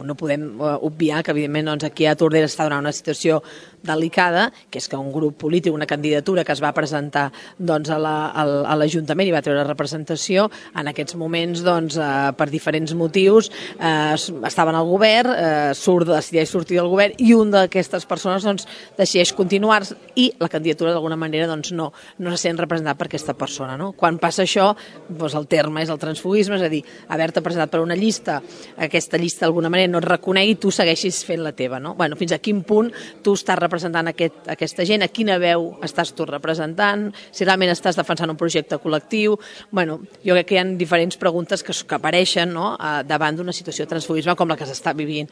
no podem obviar que, evidentment, aquí a Tordera està donant una situació delicada, que és que un grup polític, una candidatura que es va presentar a l'Ajuntament i va treure representació, en aquests moments, per diferents motius, estaven al govern, decideix sortir del govern i un d'aquestes persones decideix continuar i la candidatura d'alguna manera no se sent representat per aquesta persona. Quan passa això, el terme és el transfuguisme, és a dir, haver-te presentat per una llista, aquesta llista d'alguna manera no et reconegui i tu segueixis fent la teva. Fins a quin punt tu estàs representant aquesta gent, a quina veu estàs tu representant, si realment estàs defensant un projecte col·lectiu. Jo crec que hi ha diferents preguntes que apareixen davant d'una situació de transfuguisme com la que s'està vivint.